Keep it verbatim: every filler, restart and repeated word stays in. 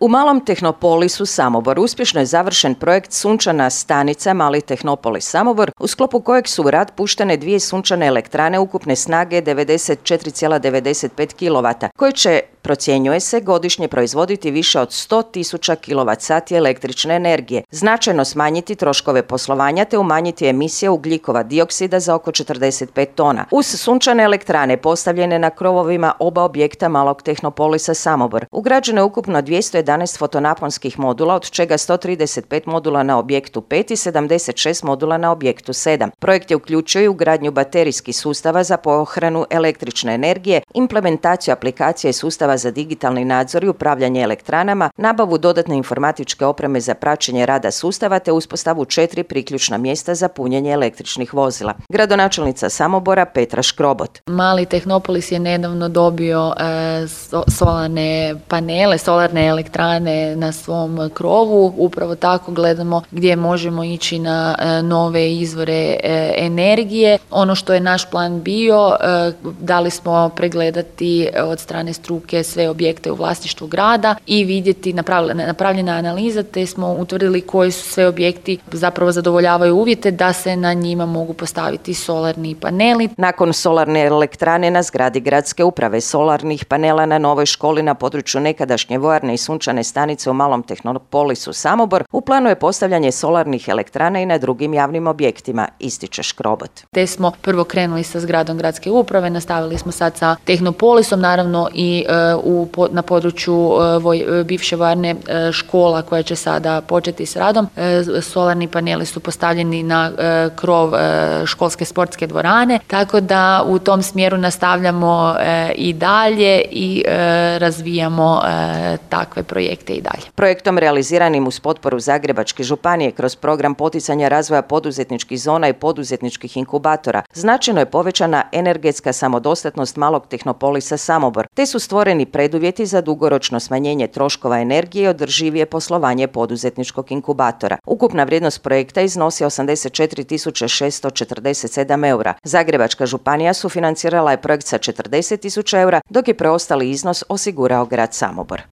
U Malom Tehnopolisu Samobor uspješno je završen projekt Sunčana stanica Mali Tehnopolis Samobor, u sklopu kojeg su u rad puštene dvije sunčane elektrane ukupne snage devedeset četiri zarez devedeset pet kilovata, koje će, procjenjuje se, godišnje proizvoditi više od sto tisuća kilovat sati električne energije, značajno smanjiti troškove poslovanja te umanjiti emisije ugljikova dioksida za oko četrdeset pet tona. Uz sunčane elektrane postavljene na krovovima oba objekta Malog Tehnopolisa Samobor, ugrađeno je ukupno dvjesto jedanaest fotonaponskih modula, od čega sto trideset pet modula na objektu pet i sedamdeset šest modula na objektu sedam. Projekt je uključio i ugradnju baterijskih sustava za pohranu električne energije, implementaciju aplikacije sustava za digitalni nadzor i upravljanje elektranama, nabavu dodatne informatičke opreme za praćenje rada sustava te uspostavu četiri priključna mjesta za punjenje električnih vozila. Gradonačelnica Samobora Petra Škrobot. Mali Tehnopolis je nedavno dobio e, so, solarne panele, solarne elektrane na svom krovu. Upravo tako gledamo gdje možemo ići na e, nove izvore e, energije. Ono što je naš plan bio, e, dali smo pregledati od strane struke sve objekte u vlasništvu grada i vidjeti, napravljena, napravljena analiza, te smo utvrdili koji su sve objekti zapravo zadovoljavaju uvjete da se na njima mogu postaviti solarni paneli. Nakon solarne elektrane na zgradi gradske uprave, solarnih panela na novoj školi na području nekadašnje vojarne i sunčane stanice u Malom Tehnopolisu Samobor, u planu je postavljanje solarnih elektrana i na drugim javnim objektima, ističe Škrobot. Te smo prvo krenuli sa zgradom gradske uprave, nastavili smo sad sa Tehnopolisom, naravno i e, u, na području e, voj, bivše vojarne e, škola koja će sada početi s radom. E, solarni paneli su postavljeni na e, krov e, školske sportske dvorane, tako da u tom smjeru nastavljamo e, i dalje i e, razvijamo e, takve projekte i dalje. Projektom realiziranim uz potporu Zagrebačke županije kroz program poticanja razvoja poduzetničkih zona i poduzetničkih inkubatora značajno je povećana energetska samodostatnost Malog Tehnopolisa Samobor, te su stvoreni preduvjeti za dugoročno smanjenje troškova energije i održivije poslovanje poduzetničkog inkubatora. Ukupna vrijednost projekta iznosi osamdeset četiri tisuće šesto četrdeset sedam eura. Zagrebačka županija sufinancirala je projekt sa četrdeset tisuća eura, dok je preostali iznos osigurao grad Samobor.